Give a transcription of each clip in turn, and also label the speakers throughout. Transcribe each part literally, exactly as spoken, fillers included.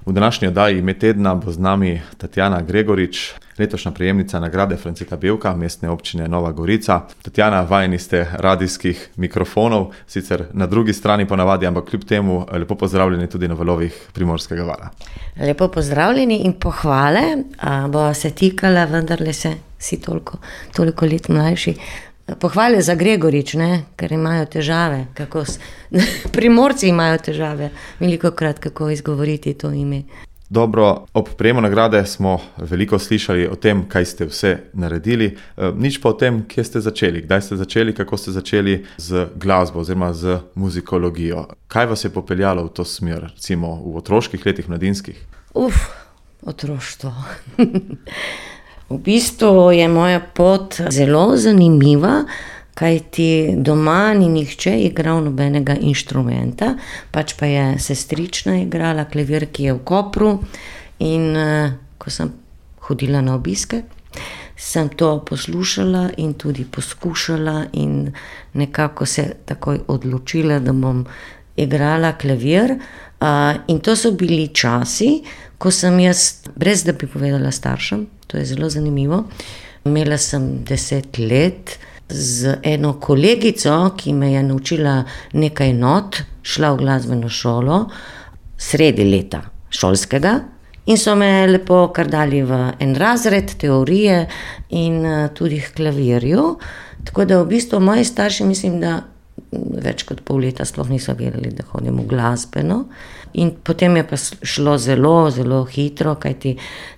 Speaker 1: V današnji oddaji Ime tedna bo z nami Tatjana Gregorič, letošnja prejemnica nagrade Franceta Bevka Mestne občine Nova Gorica. Tatjana, vajeni ste radijskih mikrofonov, sicer na drugi strani ponavadi, ampak kljub temu lepo pozdravljeni tudi na valovih Primorskega vala.
Speaker 2: Lepo pozdravljeni in pohvale, bo se tikala, vendarle se si toliko, toliko let mlajši. Pohvale za Gregorič, ne? Ker imajo težave, kako s... Primorci imajo težave, velikokrat kako izgovoriti to ime.
Speaker 1: Dobro, ob prejemu nagrade smo veliko slišali o tem, kaj ste vse naredili, nič pa o tem, kje ste začeli, kdaj ste začeli, kako ste začeli z glasbo oziroma z muzikologijo. Kaj vas je popeljalo v to smer, recimo v otroških letih, mladinskih?
Speaker 2: Uf, otroštvo. V bistvu je moja pot zelo zanimiva, kajti doma ni nihče igral nobenega inštrumenta, pač pa je sestrična igrala klavir, ki je v Kopru, in uh, ko sem hodila na obiske, sem to poslušala in tudi poskušala in nekako se takoj odločila, da bom igrala klavir. Uh, in to so bili časi, ko sem jaz, brez da bi povedala staršem, to je zelo zanimivo, imela sem deset let z eno kolegico, ki me je naučila nekaj not, šla v glasbeno šolo, sredi leta šolskega, in so me lepo kar dali v en razred teorije in tudi k klavirju. Tako da v bistvu moji starši, mislim, da več kot pol leta sploh niso vedeli, da hodim v glasbeno. In potem je pa šlo zelo, zelo hitro, kajti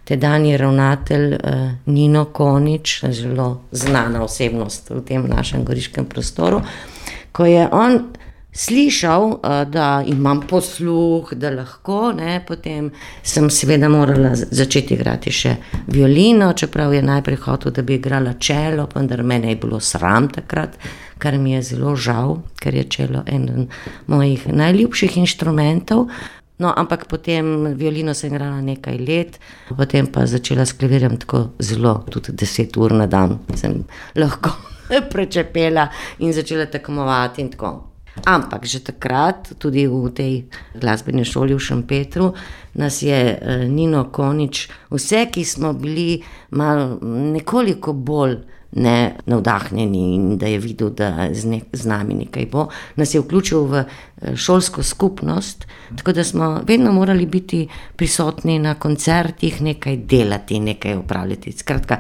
Speaker 2: tedanji ravnatelj eh, Nino Konič, zelo znana osebnost v tem našem goriškem prostoru, ko je on slišal, eh, da imam posluh, da lahko, ne, potem sem seveda morala začeti igrati še violino, čeprav je najprej hotel, da bi igrala čelo, vendar mene je bilo sram takrat, kar mi je zelo žal, ker je čelo eden mojih najljubših inštrumentov. No, ampak potem violino sem igrala nekaj let, potem pa začela s klavirjem tako zelo, tudi deset ur na dan sem lahko prečepela in začela tekmovati in tako. Ampak že takrat, tudi v tej glasbeni šoli v Šempetru, nas je Nino Konič, vse, ki smo bili malo nekoliko bolj ne navdahnjeni in da je videl, da z, ne, z nami nekaj bo, nas je vključil v šolsko skupnost, tako da smo vedno morali biti prisotni na koncertih, nekaj delati, nekaj upravljati. Skratka,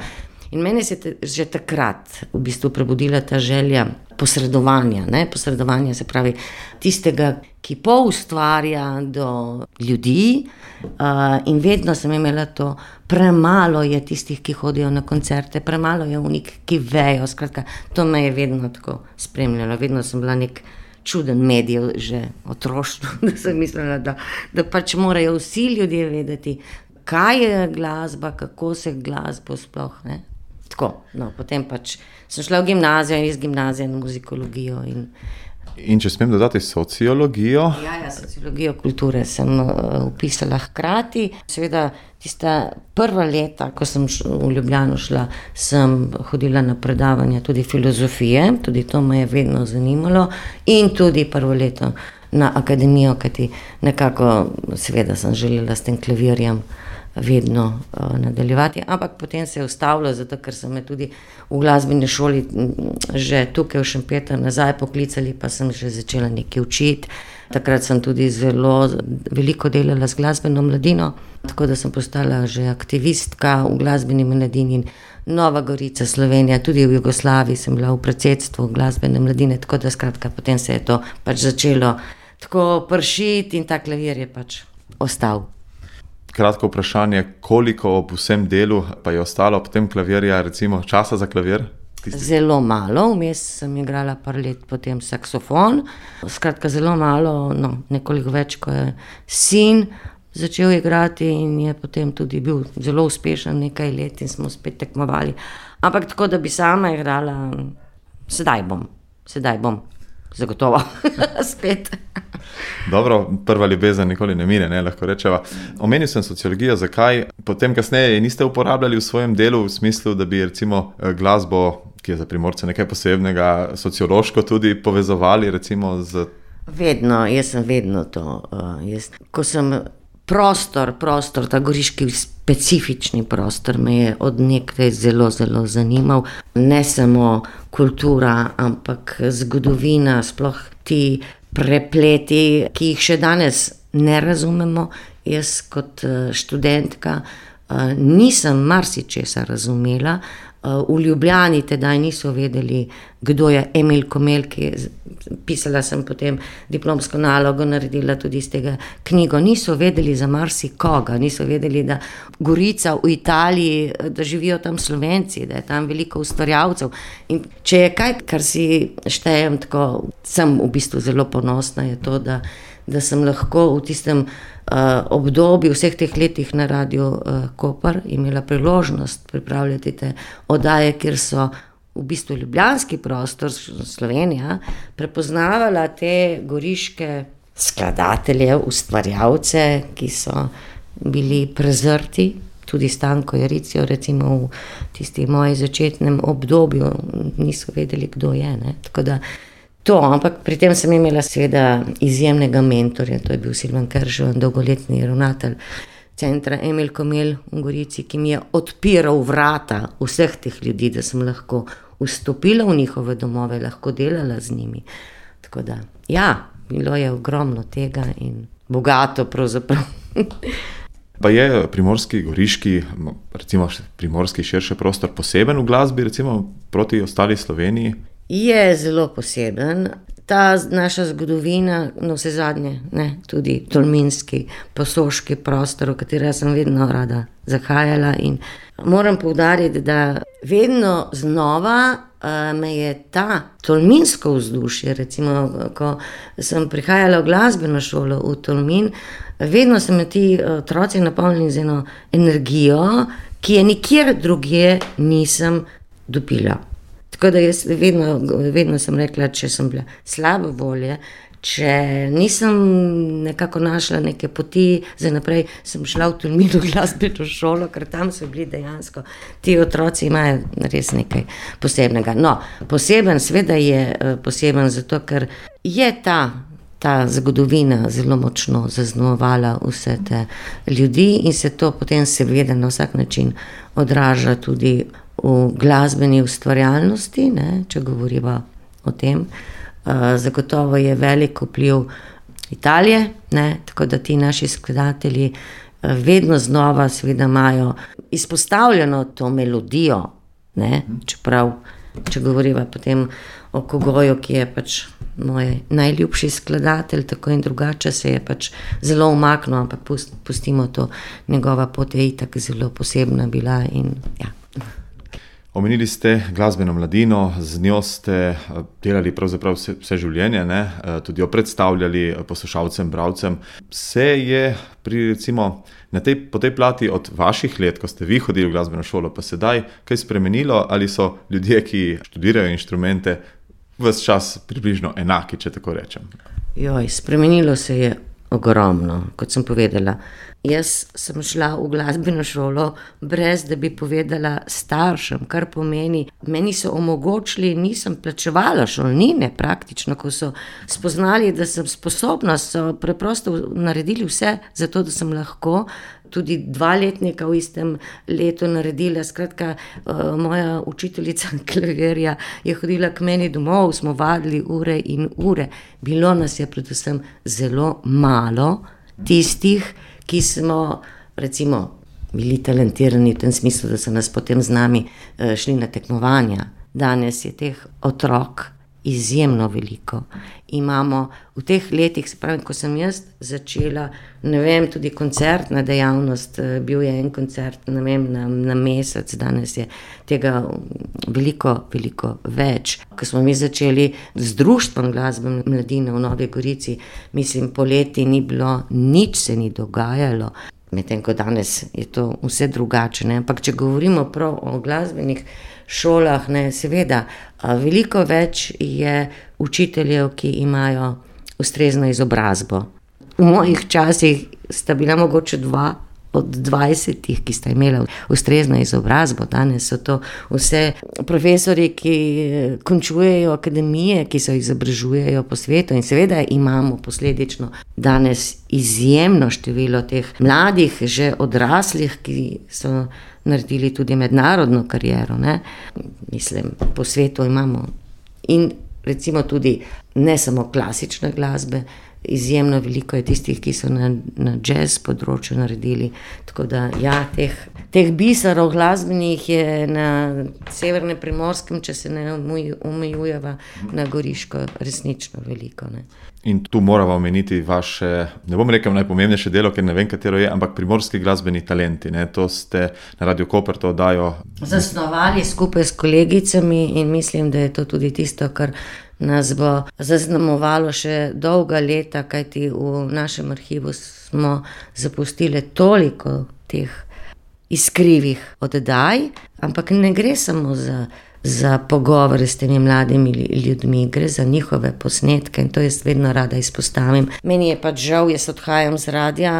Speaker 2: in meni se je že takrat v bistvu prebudila ta želja posredovanja, ne? Posredovanja se pravi tistega, ki poustvarja do ljudi, uh, in vedno sem imela to, premalo je tistih, ki hodijo na koncerte, premalo je unik, ki vejo, skratka, to me je vedno tako spremljalo, vedno sem bila nek čuden medijev že otroštvo, da sem mislila, da, da pač morajo vsi ljudje vedeti, kaj je glasba, kako se glasbo sploh, ne. Tako, no, potem pač sem šla v gimnazijo in iz gimnazije na muzikologijo. In,
Speaker 1: in če smem dodati sociologijo?
Speaker 2: Ja, ja, sociologijo kulture sem upisala hkrati. Seveda, tista prva leta, ko sem v Ljubljano šla, sem hodila na predavanja tudi filozofije, tudi to me je vedno zanimalo, in tudi prvo leto na akademijo, kajti nekako, seveda sem želela s tem klavirjem vedno uh, nadaljevati, ampak potem se je ustavilo, zato ker so me tudi v glasbeni šoli že tukaj v Šempetru nazaj poklicali, pa sem že začela nekaj učiti. Takrat sem tudi zelo veliko delala z glasbeno mladino, tako da sem postala že aktivistka v glasbeni mladini. Nova Gorica, Slovenija, tudi v Jugoslaviji sem bila v predsedstvu glasbene mladine, tako da skratka potem se je to pač začelo tako pršiti in ta klavir je pač ostal.
Speaker 1: Kratko vprašanje, koliko ob vsem delu pa je ostalo ob tem klavirja, recimo časa za klavir? Tisti... Zelo
Speaker 2: malo, vmes sem igrala par let potem saksofon, skratka zelo malo, no, nekoliko več, ko je sin začel igrati in je potem tudi bil zelo uspešen nekaj let in smo spet tekmovali. Ampak tako, da bi sama igrala, sedaj bom, sedaj bom. Zagotovo, spet.
Speaker 1: Dobro, prva ljubezen nikoli ne mine, ne, lahko rečeva. Omenil sem sociologijo, zakaj? Potem kasneje niste uporabljali v svojem delu v smislu, da bi recimo glasbo, ki je za Primorce nekaj posebnega, sociološko tudi povezovali recimo z...
Speaker 2: Vedno, jaz sem vedno to. Uh, jaz, ko sem prostor, prostor, ta goriški specifični prostor me je od nekdaj zelo, zelo zanimal. Ne samo kultura, ampak zgodovina, sploh ti prepleti, ki jih še danes ne razumemo. Jaz kot študentka nisem marsičesa razumela. V Ljubljani tedaj niso vedeli, kdo je Emil Komel, ki pisala sem potem diplomsko nalogo, naredila tudi iz tega knjigo. Niso vedeli za marsikoga, niso vedeli, da Gorica v Italiji, da živijo tam Slovenci, da je tam veliko ustvarjalcev. In če je kaj, kar si štejem tako, sem v bistvu zelo ponosna, je to, da, da sem lahko v tistem Uh, obdobju vseh teh letih na Radiu uh, Koper imela priložnost pripravljati te oddaje, kjer so v bistvu ljubljanski prostor, Slovenija, prepoznavala te goriške skladatelje, ustvarjalce, ki so bili prezrti, tudi Stanko Jaricijo, recimo v tisti moji začetnem obdobju niso vedeli, kdo je, ne, tako da to, ampak pri tem sem imela seveda izjemnega mentorja, to je bil Silvan Kerževan, dolgoletni ravnatelj centra Emil Komel v Gorici, ki mi je odpiral vrata vseh teh ljudi, da sem lahko vstopila v njihove domove, lahko delala z njimi. Tako da, ja, bilo je ogromno tega in bogato pravzaprav.
Speaker 1: Pa je primorski, goriški, recimo primorski širši prostor poseben v glasbi, recimo proti ostali Sloveniji?
Speaker 2: Je zelo poseben. Ta naša zgodovina, no vse zadnje, ne, tudi tolminski, posoški prostor, v katera sem vedno rada zahajala in moram poudariti, da vedno znova uh, me je ta tolminsko vzdušje, recimo, ko sem prihajala v glasbeno šolo v Tolmin, vedno so me ti otroci napolnili z eno energijo, ki je nikjer drugje nisem dobila. Tako da jaz vedno, vedno sem rekla, če sem bila slabe volje, če nisem nekako našla neke poti, za naprej sem šla v Tolmin v glasbeno šolo, ker tam so bili dejansko, ti otroci imajo res nekaj posebnega. No, poseben, seveda je poseben zato, ker je ta, ta zgodovina zelo močno zaznamovala vse te ljudi in se to potem seveda na vsak način odraža tudi v glasbeni ustvarjalnosti, ne, če govoriva o tem. Uh, zagotovo je velik vpliv Italije, ne, tako da ti naši skladatelji uh, vedno znova seveda imajo izpostavljeno to melodijo, ne, čeprav, če govoriva potem o Kogoju, ki je pač moj najljubši skladatelj, tako in drugače se je pač zelo umaknil, ampak pust, pustimo to, njegova pot je itak zelo posebna bila in ja.
Speaker 1: Omenili ste glasbeno mladino, z njo ste delali pravzaprav vse, vse življenje, ne? Tudi jo predstavljali poslušalcem, bralcem. Se je pri, recimo, na tej, po tej plati od vaših let, ko ste vi hodili v glasbeno šolo, pa sedaj kaj spremenilo, ali so ljudje, ki študirajo inštrumente, ves čas približno enaki, če tako rečem?
Speaker 2: Joj, spremenilo se je ogromno, kot sem povedala. Jaz sem šla v glasbeno šolo brez, da bi povedala staršem, kar pomeni, meni so omogočili, nisem plačevala šolnine praktično, ko so spoznali, da sem sposobna, so preprosto naredili vse za to, da sem lahko tudi dva letnika v istem letu naredila. Skratka, moja učiteljica klavirja je hodila k meni domov, smo vadili ure in ure. Bilo nas je predvsem zelo malo tistih, ki smo, recimo, bili talentirani v tem smislu, da so nas potem z nami šli na tekmovanja. Danes je teh otrok izjemno veliko. Imamo v teh letih, se pravi, ko sem jaz začela, ne vem, tudi koncertna dejavnost, bil je en koncert, ne vem, na, na mesec, danes je tega veliko, veliko več. Ko smo mi začeli z društvom glasbene mladine v Novi Gorici, mislim, poleti ni bilo, nič se ni dogajalo. Medtem ko danes je to vse drugače, ne? Ampak če govorimo prav o glasbenih šolah, ne, seveda, veliko več je učiteljev, ki imajo ustrezno izobrazbo. V mojih časih sta bila mogoče dva od dvajsetih, ki sta imela ustrezno izobrazbo. Danes so to vse profesori, ki končujejo akademije, ki se izobražujejo po svetu in seveda imamo posledično danes izjemno število teh mladih, že odraslih, ki so naredili tudi mednarodno kariero, ne. Mislim, po svetu imamo in recimo tudi ne samo klasične glasbe, izjemno veliko je tistih, ki so na, na jazz področju naredili, tako da ja, teh, teh biserov glasbenih je na severnem Primorskem, če se ne omejujeva na Goriško, resnično veliko, ne.
Speaker 1: In tu moramo omeniti vaše, ne bom rekel najpomembnejše delo, ker ne vem, katero je, ampak Primorski glasbeni talenti, ne, to ste na Radio Koper to oddajo
Speaker 2: zasnovali skupaj s kolegicami in mislim, da je to tudi tisto, kar nas bo zaznamovalo še dolga leta, kajti v našem arhivu smo zapustili toliko teh iskrivih oddaj, ampak ne gre samo za, za pogovore s temi mladimi ljudmi, gre za njihove posnetke in to jaz vedno rada izpostavim. Meni je pač žal, jaz odhajam z radia,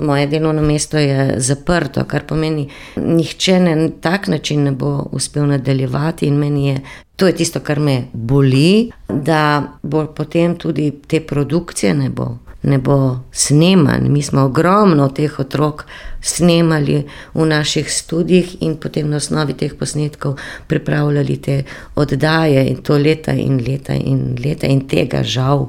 Speaker 2: moje delovno mesto je zaprto, kar pomeni, nihče na tak način ne bo uspel nadaljevati in meni je to je tisto, kar me boli, da bo potem tudi te produkcije ne bo, ne bo snemanj. Mi smo ogromno teh otrok snemali v naših studijih in potem na osnovi teh posnetkov pripravljali te oddaje in to leta in leta in leta in tega žal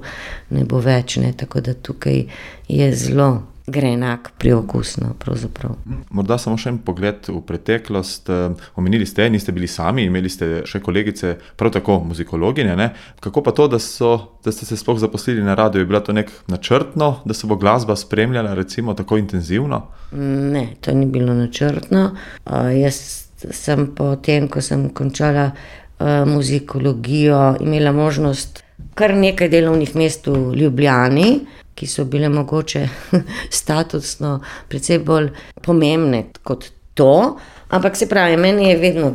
Speaker 2: ne bo več, ne, tako da tukaj je zelo grenak priokusno pravzaprav.
Speaker 1: Morda samo še en pogled v preteklost. Omenili ste, niste bili sami, imeli ste še kolegice, prav tako muzikologinje, ne? Kako pa to, da, so, da ste se sploh zaposlili na radiu? Je bila to nek načrtno, da se bo glasba spremljala recimo tako intenzivno?
Speaker 2: Ne, to ni bilo načrtno. Uh, jaz sem po tem, ko sem končala uh, muzikologijo, imela možnost kar nekaj delovnih mest v Ljubljani, ki so bile mogoče statusno precej bolj pomembne kot to, ampak se pravi, meni je vedno,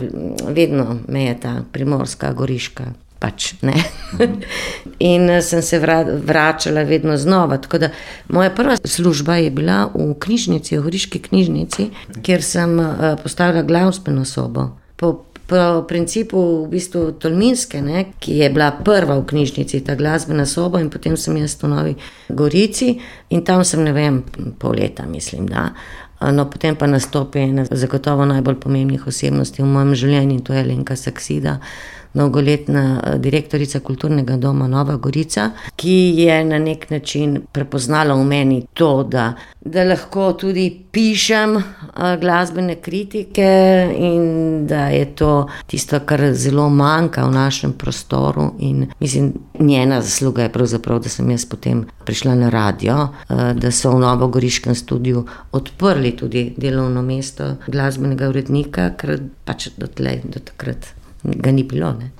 Speaker 2: vedno me je ta primorska, goriška, pač ne. In sem se vračala vedno znova, tako da moja prva služba je bila v knjižnici, v Goriški knjižnici, kjer sem postavila glasbeno sobo. Po Po principu v bistvu Tolminske, ne, ki je bila prva v knjižnici, ta glasbena soba in potem sem jaz v Novi Gorici in tam sem, ne vem, pol leta mislim, da. No, potem pa nastopi ena zagotovo najbolj pomembnih osebnosti v mojem življenju in to je Alenka Saksida, dolgoletna direktorica Kulturnega doma Nova Gorica, ki je na nek način prepoznala v meni to, da, da lahko tudi pišem glasbene kritike in da je to tisto, kar zelo manjka v našem prostoru in mislim, njena zasluga je pravzaprav, da sem jaz potem prišla na radio, da so v novogoriškem studiu odprli tudi delovno mesto glasbenega urednika, ker pač dotlej, do takrat ga ni bilo, ne.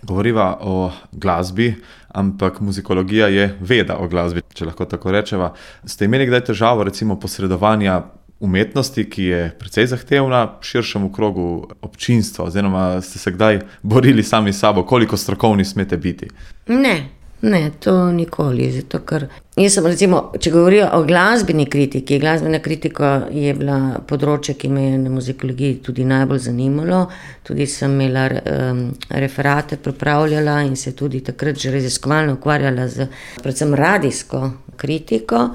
Speaker 1: Govoriva o glasbi, ampak muzikologija je veda o glasbi, če lahko tako rečeva. Ste imeli kdaj težavo recimo posredovanja umetnosti, ki je precej zahtevna širšemu krogu občinstva, oziroma ste se kdaj borili sami s sabo, koliko strokovni smete biti?
Speaker 2: Ne. Ne, to nikoli, zato ker jaz sem recimo, če govorijo o glasbeni kritiki, glasbena kritika je bila področje, ki me je na muzikologiji tudi najbolj zanimalo, tudi sem imela um, referate pripravljala in se tudi takrat že raziskovalno ukvarjala z predvsem radijsko kritiko.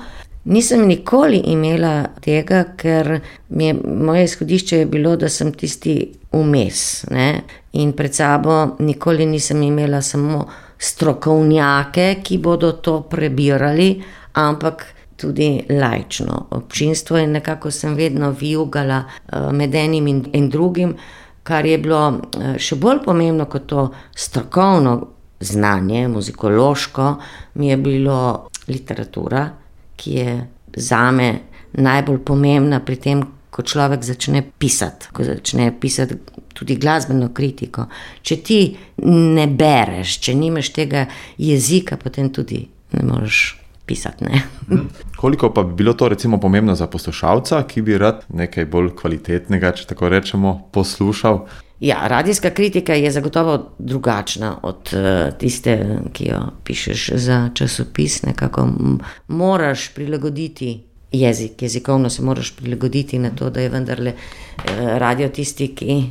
Speaker 2: Nisem nikoli imela tega, ker mi je, moje izhodišče je bilo, da sem tisti vmes, ne, in pred sabo nikoli nisem imela samo strokovnjake, ki bodo to prebirali, ampak tudi laično občinstvo in nekako sem vedno vijugala med enim in, in drugim, kar je bilo še bolj pomembno kot to strokovno znanje, muzikološko, mi je bilo literatura, ki je zame najbolj pomembna pri tem, ko človek začne pisati, ko začne pisati tudi glasbeno kritiko. Če ti ne bereš, če nimaš tega jezika, potem tudi ne moreš pisati, ne.
Speaker 1: Koliko pa bi bilo to recimo pomembno za poslušalca, ki bi rad nekaj bolj kvalitetnega, če tako rečemo, poslušal?
Speaker 2: Ja, radijska kritika je zagotovo drugačna od tiste, ki jo pišeš za časopis, nekako moraš prilagoditi jezik, jezikovno se moraš prilagoditi na to, da je vendarle radio tisti, ki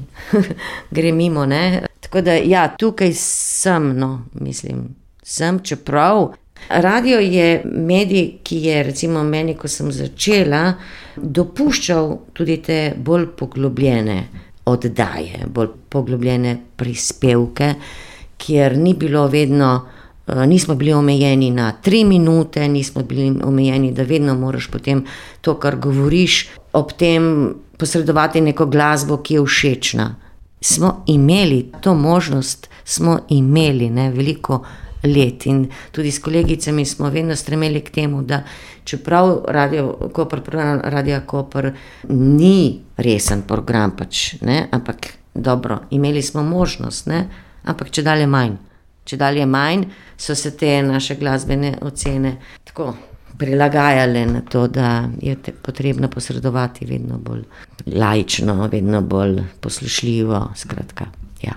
Speaker 2: gre mimo, ne. Tako da ja, tukaj sem, no, mislim, sem, čeprav radio je medij, ki je recimo meni, ko sem začela, dopuščal tudi te bolj poglobljene oddaje, bolj poglobljene prispevke, kjer ni bilo vedno, nismo bili omejeni na tri minute, nismo bili omejeni, da vedno moraš potem to, kar govoriš, ob tem posredovati neko glasbo, ki je všečna. Smo imeli to možnost, smo imeli, ne, veliko let in tudi s kolegicami smo vedno stremeli k temu, da čeprav Radio Koper, program Radia Koper ni resen program pač, ne, ampak dobro, imeli smo možnost, ne, ampak čedalje manj. Čedalje manj so se te naše glasbene ocene tako prilagajale na to, da je potrebno posredovati vedno bolj laično, vedno bolj poslušljivo, skratka, ja.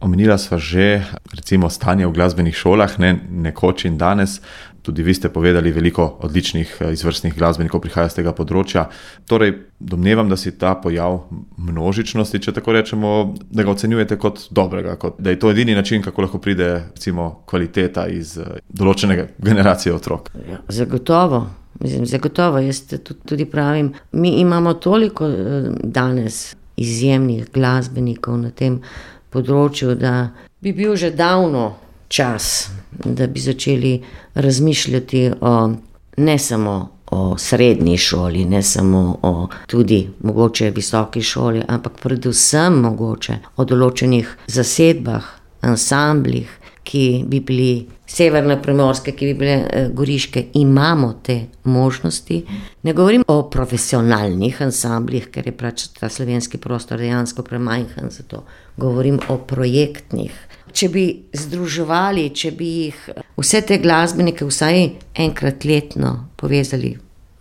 Speaker 1: Omenila sva že recimo stanje v glasbenih šolah, ne, nekoč in danes. Tudi vi ste povedali, veliko odličnih izvrstnih glasbenikov prihaja z tega področja. Torej, domnevam, da si ta pojav množičnosti, če tako rečemo, da ga ocenjujete kot dobrega, kot, da je to edini način, kako lahko pride recimo kvaliteta iz določene generacije otrok.
Speaker 2: Ja, zagotovo, mislim, zagotovo, jaz tudi pravim, mi imamo toliko danes izjemnih glasbenikov na tem področju, da bi bil že davno čas, da bi začeli razmišljati o, ne samo o srednji šoli, ne samo o tudi mogoče visoki šoli, ampak predvsem mogoče o določenih zasedbah, ansamblih, ki bi bili severne primorske, ki bi bile goriške, imamo te možnosti. Ne govorim o profesionalnih ansamblih, ker je pač ta slovenski prostor dejansko premajhen za to. Govorim o projektnih. Če bi združevali, če bi jih vse te glasbenike vsaj enkrat letno povezali,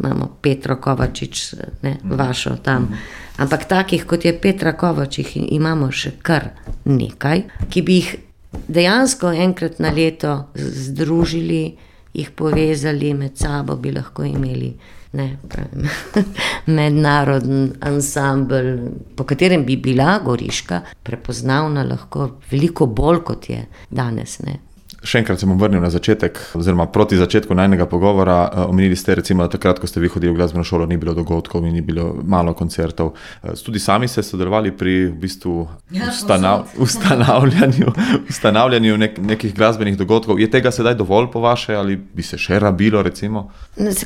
Speaker 2: imamo Petro Kovačič, ne, vašo tam, ampak takih, kot je Petra Kovačič, imamo še kar nekaj, ki bi jih dejansko enkrat na leto združili, jih povezali med sabo, bi lahko imeli, ne, pravim, mednaroden ansambel, po katerem bi bila Goriška prepoznavna lahko veliko bolj, kot je danes, ne.
Speaker 1: Še enkrat se bom vrnil na začetek, oziroma proti začetku najnega pogovora. Omenili ste recimo, da takrat, ko ste vi hodili v glasbeno šolo, ni bilo dogodkov in ni bilo malo koncertov. Tudi sami ste sodelovali pri v bistvu
Speaker 2: Ja,
Speaker 1: ustanav, ustanavljanju, ustanavljanju nek, nekih glasbenih dogodkov. Je tega sedaj dovolj po vaše ali bi se še rabilo recimo?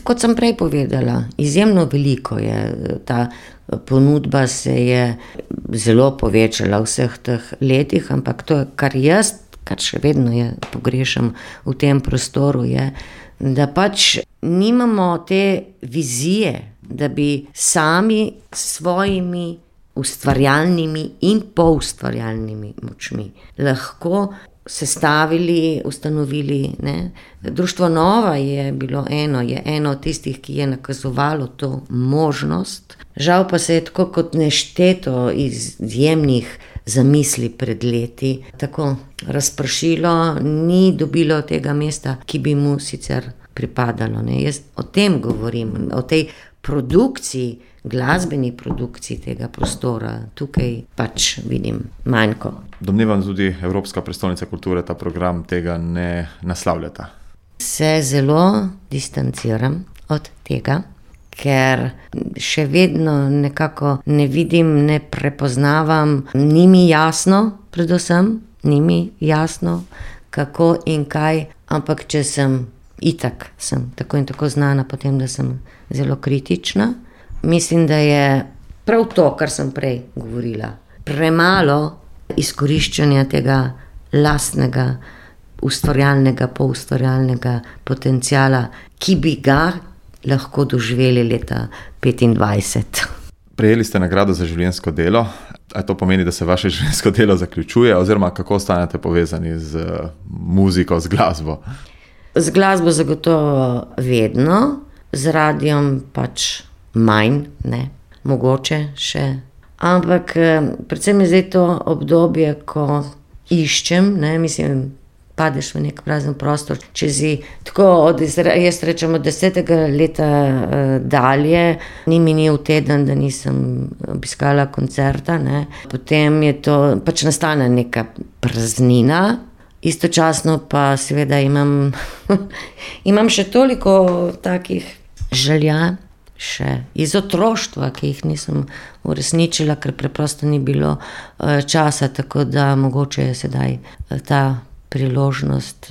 Speaker 2: Kot sem prej povedala, izjemno veliko je, ta ponudba se je zelo povečala v vseh teh letih, ampak to, kar jaz kar še vedno je, pogrešam v tem prostoru, je, da pač nimamo te vizije, da bi sami s svojimi ustvarjalnimi in poustvarjalnimi močmi lahko sestavili, ustanovili, ne. Društvo Nova je bilo eno, je eno od tistih, ki je nakazovalo to možnost. Žal pa se je tako kot nešteto izjemnih zamisli pred leti tako razpršilo, ni dobilo tega mesta, ki bi mu sicer pripadalo, ne. Jaz o tem govorim, o tej produkciji, glasbeni produkciji tega prostora. Tukaj pač vidim manjko.
Speaker 1: Domnevam tudi Evropska prestolnica kulture ta program tega ne naslavljata.
Speaker 2: Se zelo distanciram od tega, ker še vedno nekako ne vidim, ne prepoznavam, ni mi jasno, predvsem, ni mi jasno, kako in kaj, ampak če sem itak, sem tako in tako znana potem, da sem zelo kritična. Mislim, da je prav to, kar sem prej govorila, premalo izkoriščanja tega lastnega, ustvarjalnega, poustvarjalnega potenciala, ki bi ga lahko doživeli leta petindvajset.
Speaker 1: Prejeli ste nagrado za življenjsko delo. A to pomeni, da se vaše življenjsko delo zaključuje, oziroma kako ostanete povezani z muziko, z glasbo?
Speaker 2: Z glasbo zagotovo vedno, z radiom pač manj, ne, mogoče še. Ampak predvsem je zdaj to obdobje, ko iščem, ne, mislim, padeš v nek prazen prostor. Če si tako, od, jaz rečem, od desetega leta uh, dalje, ni minil teden, da nisem obiskala koncerta, ne. Potem je to, pač nastane neka praznina, istočasno pa seveda imam, imam še toliko takih želja, še iz otroštva, ki jih nisem uresničila, ker preprosto ni bilo uh, časa, tako da mogoče je sedaj uh, ta priložnost,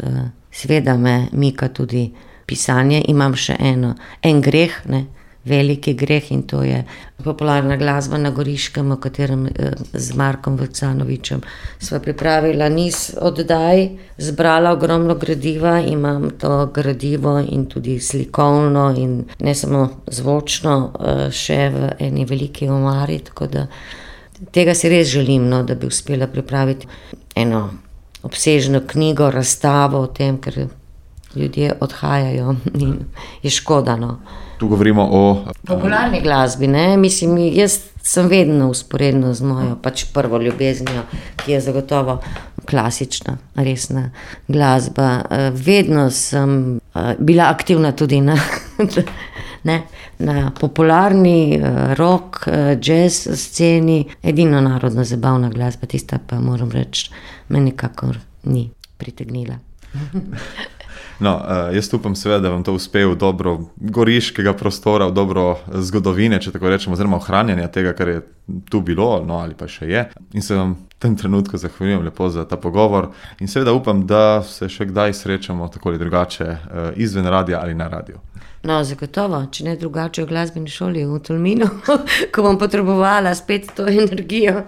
Speaker 2: seveda me mika tudi pisanje, imam še eno, en greh, ne, veliki greh in to je popularna glasba na Goriškem, o katerem z Markom Vukcanovičem sva pripravila niz oddaj, zbrala ogromno gradiva, imam to gradivo in tudi slikovno in ne samo zvočno še v eni veliki omari, tako da tega si res želim, no, da bi uspela pripraviti eno obsežno knjigo, razstavo o tem, ker ljudje odhajajo in je škoda, no.
Speaker 1: Tu govorimo o
Speaker 2: popularni glasbi, ne, mislim, jaz sem vedno usporedno z mojo pač prvo ljubeznijo, ki je zagotovo klasična, resna glasba. Vedno sem bila aktivna tudi na, ne, na popularni rock, jazz sceni, edino narodno zabavna glasba, tista pa moram reči, me nikakor ni pritegnila.
Speaker 1: No, jaz upam seveda, da vam to uspe v dobro goriškega prostora, v dobro zgodovine, če tako rečemo, oziroma ohranjanja tega, kar je tu bilo, no, ali pa še je. In se vam v tem trenutku zahvaljujem lepo za ta pogovor in seveda upam, da se še kdaj srečamo tako ali drugače izven radia ali na radiju.
Speaker 2: No, zagotovo, če ne drugače v glasbeni šoli v Tolminu, ko bom potrebovala spet to energijo.